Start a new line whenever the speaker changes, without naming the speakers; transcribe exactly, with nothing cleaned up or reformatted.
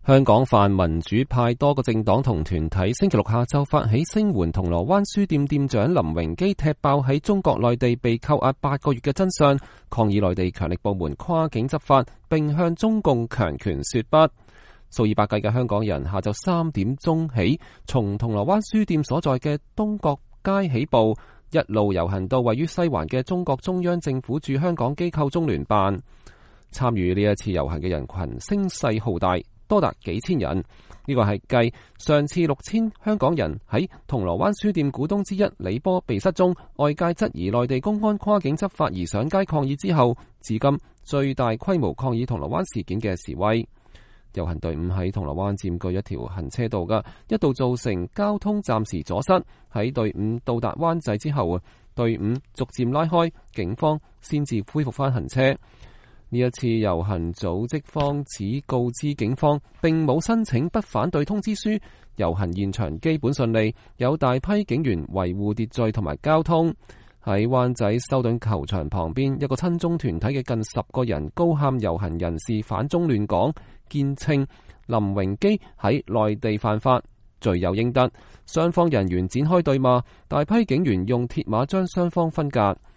香港泛民主派多個政黨同團體星期六下晝發起聲援銅鑼灣書店店長林榮基踢爆喺中國內地被扣押八個月嘅真相，抗議內地強力部門跨境執法，並向中共強權說不。數以百計嘅香港人下晝三點鐘起，從銅鑼灣書店所在嘅東角街起步，一路遊行到位於西環嘅中國中央政府駐香港機構中聯辦。參與呢一次遊行嘅人群聲勢浩大，多達幾千人。呢個係繼上次六千香港人喺銅鑼灣書店股東之一李波被失蹤，外界質疑內地公安跨境執法而上街抗議之後，至今最大規模抗議銅鑼灣事件嘅示威。遊行隊伍喺銅鑼灣佔據一條行車道嘅，一度造成交通暫時阻塞。喺隊伍到達灣仔之後，隊伍逐漸拉開，警方先至恢復翻行車。呢一次遊行組織方只告知警方並冇申請不反對通知書，遊行現場基本順利，有大批警員維護秩序同埋交通。喺灣仔修頓球場旁邊，一個親中團體嘅近十個人高喊遊行人士反中亂港，堅稱林榮基喺內地犯法，罪有應得。雙方人員展開對罵，大批警員用鐵馬將雙方分隔。